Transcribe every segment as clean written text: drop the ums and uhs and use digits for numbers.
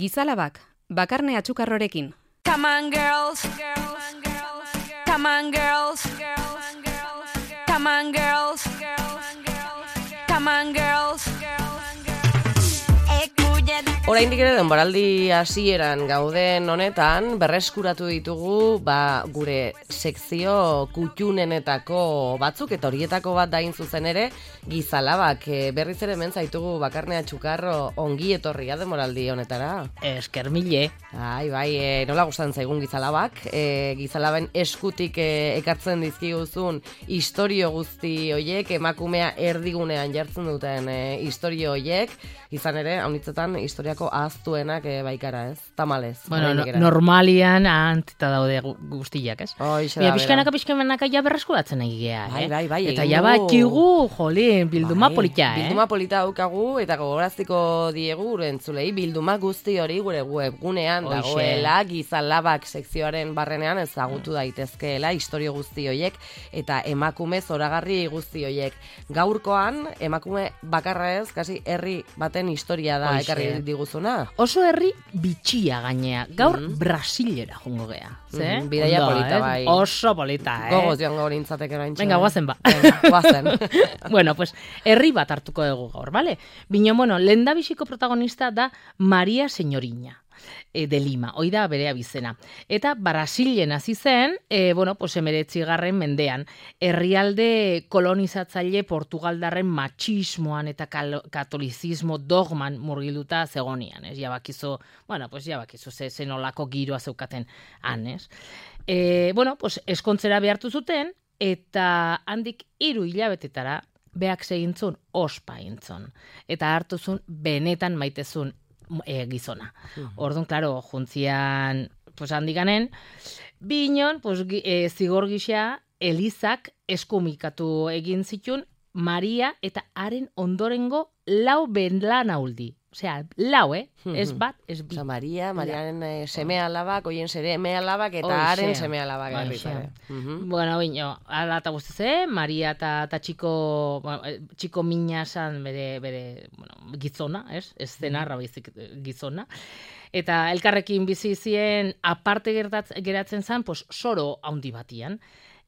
Gizalabak, bakarne atxukarrorekin. Come on girls, come on girls, come on girls, come on girls. Oraindik ere denboraldi hasieran gauden honetan berreskuratu ditugu gure sekzio kutxunenetako batzuk eta horietako bat dain zuzen ere Gizalabak. Berriz ere hemen zaitugu Bakarne Atxukarro, ongi etorria denboraldi honetara. Esker mile. Bai, nola gustatzen zaigun Gizalabak. Gizalaben eskutik ekartzen dizkiguzun istorio guzti hoiek, emakumea erdigunean jartzen duten istorio hoiek, izan ere, haunitzetan historiako ahaztuenak baikara, ez? Tamalez. Bueno, normalian antita daude guztiak, ez? Bia, pixkanaka ja berreskuratzen egea, Bai. Eta ja bakigu, jolin, bilduma polita, Bilduma polita daukagu, eta gogoraztiko diegu gure entzulei, bilduma guzti hori gure webgunean dagoela, Gizalabak sekzioaren barrenean ezagutu daitezkeela istorio guzti hoiek, eta emakume zoragarri guzti hoiek. Gaurkoan, emakume bakarra ez, kasi herri baten historia da ekarri diguzuna. Oso herri bitxia gainea. Gaur Brasilera jongo gea. Bidaia polita, bai. Oso polita, Gogoz joango nintzateke oraintxe. Venga, guazen ba. Guazen. Bueno, pues, herri bat hartuko dugu gaur, bale? Bino, lehendabiziko protagonista da Maria Señoriña. De Lima, hoi da bere abizena. Eta Brasilen hasi zen, 19. mendean, herrialde kolonizatzaile Portugaldarren matxismoan eta katolizismo dogman murgilduta zegonian, ez? Jabakizu zenolako giroa zeukaten han, ez? Eskontzera behartu zuten, eta handik 3 hilabetetara beak segintzun ospa intzon. Eta hartuzun benetan maitezun gizona. Orduan, klaro, juntzian, handikanen, binon, zigor gisa, Elizak eskumikatu egin zitun Maria eta haren ondorengo 4 benlanauldi. Osea, 4, ez bat, ez bi. Osa, Mariaren seme-alabak, oien seme-alabak eta haren seme-alabak. Bueno, bino, ala eta guztize, Maria eta txiko mina zan bere gizona, ez? Ez zenarra baizik gizona. Eta elkarrekin bizi zien aparte geratzen zan, soro handi batian.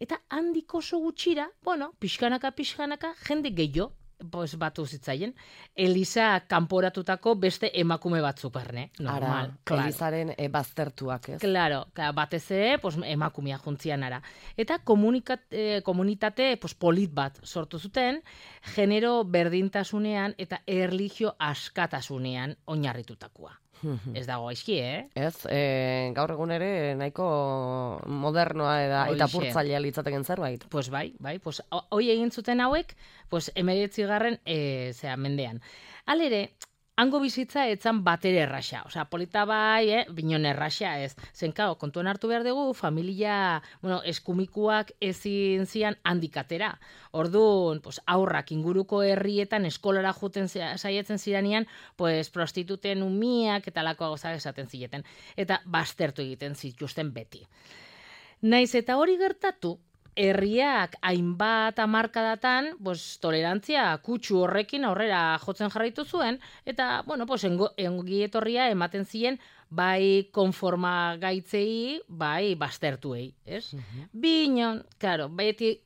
Eta handik oso gutxira, pixkanaka, jende gehiago, batu zitzaien, Eliza kanporatutako beste emakume batzuk barne. Normal. Elizaren baztertuak, ez? Claro, batez ere, emakumea juntzian ara. Eta komunitate polit bat sortu zuten, genero berdintasunean eta erlijio askatasunean oinarritutakoa. Ez dago aizki, Ez, gaur egun ere nahiko modernoa eta purtzailea litzateken zerbait. Bai, hoi egin zuten hauek, 19. mendean. Halere, hango bizitza etzan batere erraxa. Osea, polita bai, binon erraxa ez. Zenkao, kontuan hartu behar dugu, familia, eskumikuak ezin zian handikatera. Orduan, aurrak inguruko herrietan eskolara juten saietzen ziranean, prostituten umiak eta lakoa gozak esaten zileten. Eta baztertu egiten zituzten beti. Naiz eta hori gertatu, herriak hainbat hamarkadatan, tolerantzia kutsu horrekin aurrera jotzen jarraitu zuen, eta, ongi etorria ematen ziren, bai konforma gaitzei, bai baztertuei, ez? Binon, claro, beti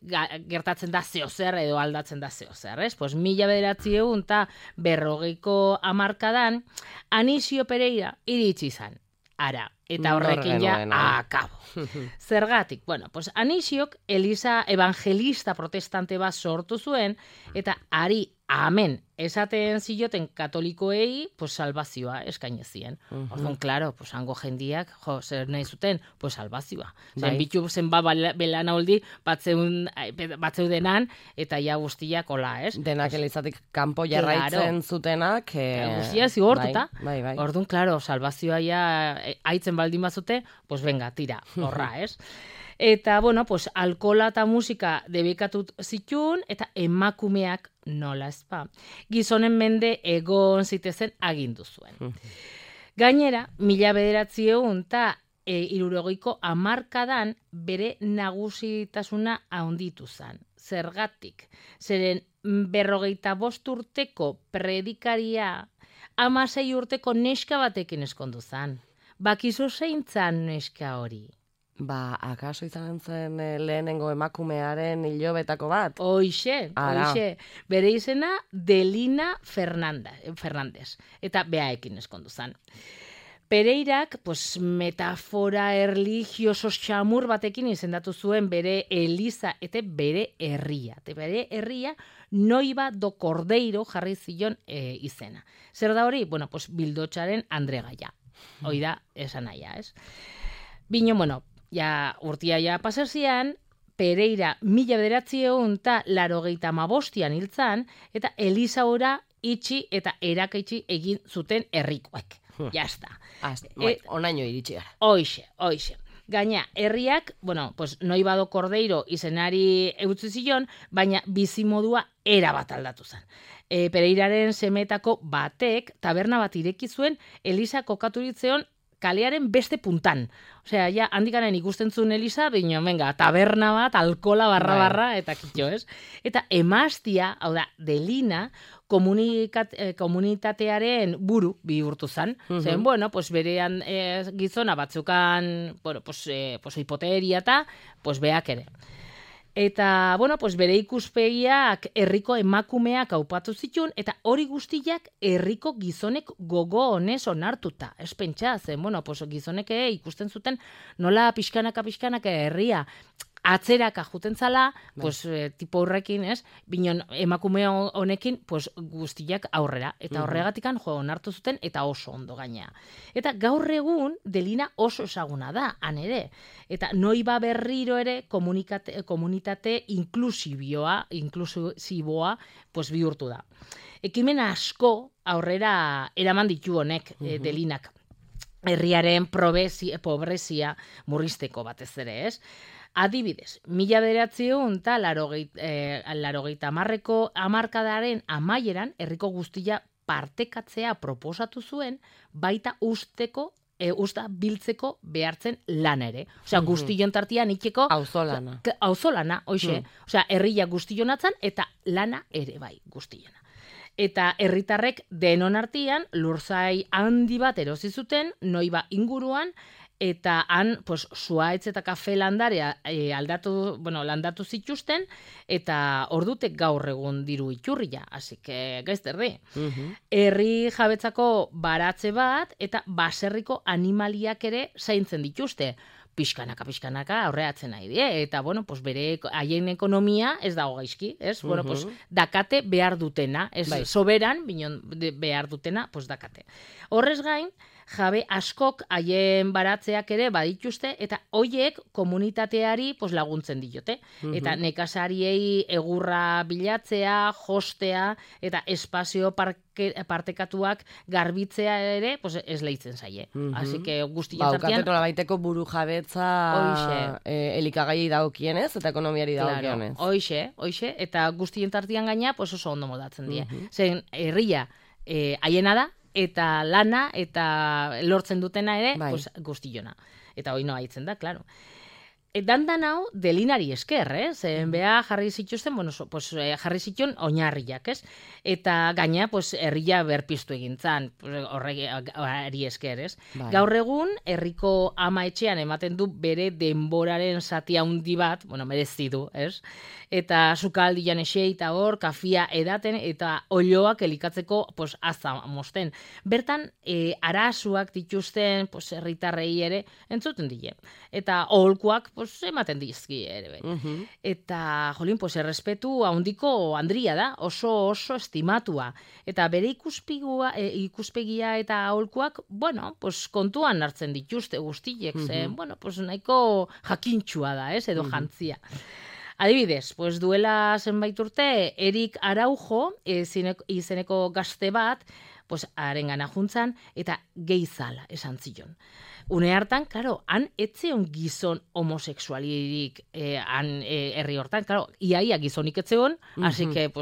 gertatzen da zeozer edo aldatzen da zeozer, ez? 1940 eta 50ko hamarkadan, Anisio Pereira iritsi izan. Ara, eta horrekin ja akabo. Zergatik, Anisiok Eliza evangelista protestante bat sortu zuen, eta ari amen esaten zioten katolikoei, salvazioa eskainezien. Orduan, klaro, hango jendiak, zer nahi zuten, salvazioa. Bitu zen belana holdi, batzeudenan, eta ja guztiak hola, ez? Denak Elizatik kanpo jarraitzen zutenak. Guztia zigortuta. Bai. Orduan, klaro, salvazioa ja haitzen baldin bazute, venga, tira, horra, ez? Eta, alkola eta musika debekatu zitun, eta emakumeak nola ezpa. Gizonen mende egon zitezen agindu zuen. Gainera, 1900 eta 60ko hamarkadan bere nagusitasuna handitu zen. Zergatik, zeren 45 urteko predikaria 16 urteko neska batekin eskondu zan. Bakizu zein zan neska hori? Akaso izan zen lehenengo emakumearen hilobetako bat? Hoixe. Bere izena Delina Fernandez. Eta beaekin eskondu zan. Pereirak, metafora erligioso xamur batekin izendatu zuen bere eliza eta bere herria. Eta bere herria Noiva do Cordeiro jarri zion izena. Zer da hori? Bildotxaren Andregaia. Hoi da, esan naia, ez? Bino, urtia pasarzian, Pereira 1985 hiltzan, eta Eliza ora itxi eta erakaitxi egin zuten herrikoek. Jazta. Onaino iritsi gara. Hoixe. Gaina, herriak, Noiva do Cordeiro izenari eutzi zion, baina bizimodua erabat aldatu zen. Pereiraren semetako batek taberna bat ireki zuen Eliza kokaturitzeon kalearen beste puntan. Osea, ja, handikanen ikusten zuen Eliza, bino, taberna bat, alkola barra, eta kitxo, ez? Eta emaztia, hau da, Delina, komunitatearen buru bihurtu zan. Zen, berean gizona batzukan, hipoteria eta, beak ere. Eta, bere ikuspegiak herriko emakumeak aupatu zituen, eta hori guztiak herriko gizonek gogo honez onartuta. Ez pentsa, zen, gizonek ikusten zuten nola pixkanaka herria atzeraka juten zala, tipo horrekin, ez? Binon emakume honekin, guztiak aurrera. Eta horregatikan onartu zuten, eta oso ondo gaina. Eta gaur egun, Delina oso ezaguna da, han ere. Eta Noiva berriro ere komunitate inklusiboa bihurtu da. Ekimen asko aurrera eraman ditu honek Delinak. Herriaren pobrezia murrizteko batez ere, ez? Adibidez, 1980ko hamarkadaren amaieran herriko guztia partekatzea proposatu zuen, baita usta biltzeko behartzen lana ere. Osea, guztion tartian itxeko auzolana, hoxe. Osea, herria guztion atzan eta lana ere bai guztiona. Eta herritarrek denon artean lurzai handi bat erosi zuten Noiva inguruan, eta han zuaitz eta kafe landarea landatu zituzten, eta ordutek gaur egun diru iturria, así que gaizterdi. Herri jabetzako baratze bat, eta baserriko animaliak ere zaintzen dituzte. Pixkanaka aurreatzen nahi die, eta bere haien ekonomia ez dago gaizki, ez? Dakate behar dutena, ez soberan, binon behar dutena, dakate. Horrez gain, jabe askok haien baratzeak ere badituzte, eta hoiek komunitateari laguntzen diote. Eta nekazariei egurra bilatzea, jostea, eta espazio partekatuak garbitzea ere, ez lehitzen zaie. Así que guztien zartian... Ukateto labaiteko buru jabetza elikagai dagokienez, eta ekonomiari dagokienez. Hoixe, eta guztien tartian gaina, oso ondo modatzen die. Zen, herria haiena da, eta lana, eta lortzen dutena ere, guztiona. Eta hoi noa hitzen da, klaro. Dandan hau, Delinari esker, zen beha jarri zituzten, jarri zituen oinarriak, ez? Eta gaina, herria berpiztu egintzan, horri esker, ez? Gaur egun, herriko ama etxean ematen du bere denboraren zati handi bat, merezi du, ez? Eta sukaldian esei eta hor, kafia edaten, eta olioak elikatzeko, aza mosten. Bertan, arazuak dituzten, herritarrei ere, entzuten dile. Eta aholkuak, ematen dizki ere. Eta, errespetu handiko handria da, oso estimatua. Eta bere ikuspegia eta aholkuak, kontuan hartzen dituzte guztiek, zen, nahiko jakintxua da, edo jantzia. Adibidez, duela zenbait urte, Erik Araujo izeneko gazte bat, harengana juntzan, eta geizala esan zion. Une hartan, klaro, han etzeon gizon homosexualirik herri hortan, klaro, iaia gizonik etzeon, así que,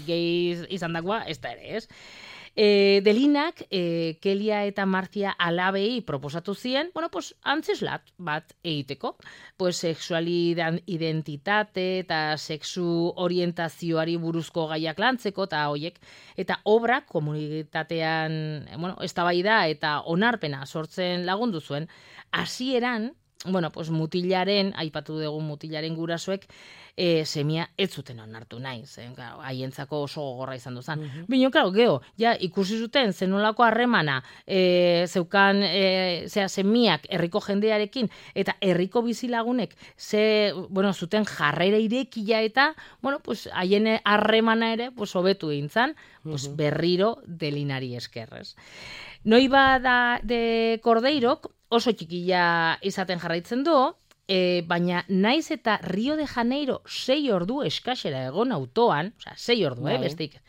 gehi izan dagoa, ez da ere, ez? Delinak, Kelia eta Marcia alabei proposatu zien, antzeslat bat egiteko. Sexualidentitate eta sexu orientazioari buruzko gaiak lantzeko eta hoiek. Eta obrak komunitatean, eztabaida eta onarpena sortzen lagundu zuen. Hasieran, mutilaren, aipatu dugu mutilaren gurasoek, semia ez zuten onartu nahi, haientzako oso gogorra izan duzan. Bino, geho, ikusi zuten zenolako harremana zeukan semiak herriko jendearekin eta herriko bizilagunek zuten jarrera irekia eta, haien harremana ere hobetu egintzan, berriro Delinari eskerrez. Noiba de Cordeirok oso txikila izaten jarraitzen du, baina naiz eta Rio de Janeiro 6 ordu eskasera egon autoan, 6 ordu, bestik,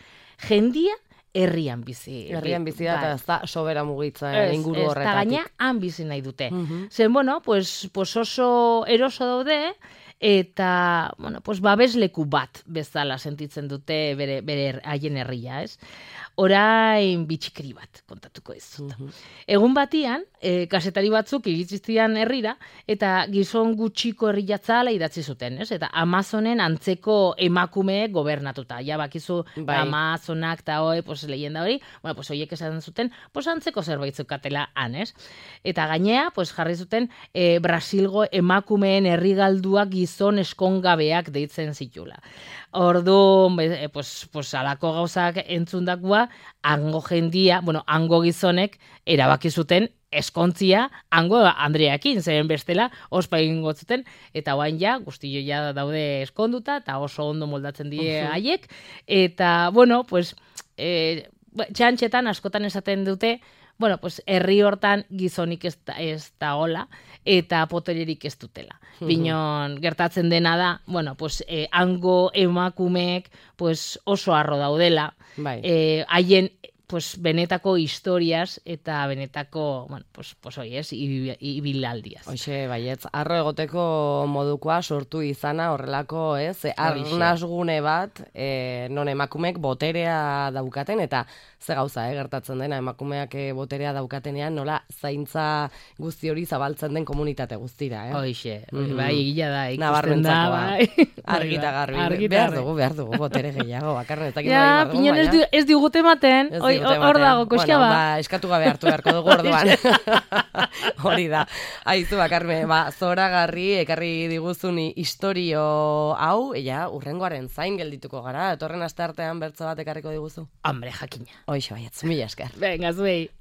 jendia herrian bizi. Herrian bizi da, eta ez da sobera mugitzen inguru horretatik. Eta gaina han bizi nahi dute. Zen, oso eroso daude, eta, babesleku bat bezala sentitzen dute bere haien herria, ez? Orain bitxikri bat kontatuko ez dut. Egun batian, kasetari batzuk iritsiztian herrira, eta gizon gutxiko herriatzala idatzi zuten, ez? Eta Amazonen antzeko emakumeek gobernatuta. Ja, bakizu Amazonak eta leyenda hori, horiek esaten zuten, antzeko zerbait zukatela han, ez? Eta gainea, jarri zuten Brasilgo emakumeen herrigalduak gizon eskongabeak deitzen zitula. Ordu, alako gauzak entzundakua, hango jendia, hango gizonek erabaki zuten eskontzia hango Andreakin, zeren bestela ospa egingo zuten, eta oain guztio daude eskonduta, eta oso ondo moldatzen die haiek, eta, txantxetan askotan esaten dute, herri hortan gizonik ez da hola, eta potererik ez dutela. Binon, gertatzen dena da, hango emakumeek oso harro daudela, haien benetako historiaz eta benetako, ibilaldiaz. Hoxe, baietz, harro egoteko modukoa sortu izana horrelako, arnasgune bat, non emakumeek boterea daukaten, eta ze gauza, gertatzen dena, emakumeak boterea daukatenean, nola zaintza guzti hori zabaltzen den komunitate guztira, Hoxe, egila da, ikusten da, argita garbi, behar dugu, botere gehiago, bakarren ez dakit nahi pinon ez digute ematen, hor dago, koska ba. Eskatu gabe hartu beharko dugu orduan. Hori da. Aizu, bakarme, zoragarri, ekarri diguzun historio hau, urrengoaren zain geldituko gara, etorren asteartean bertso bat ekarriko diguzu. Hombre, jakina. Hoixo, baietz, mila esker. Venga, zuei.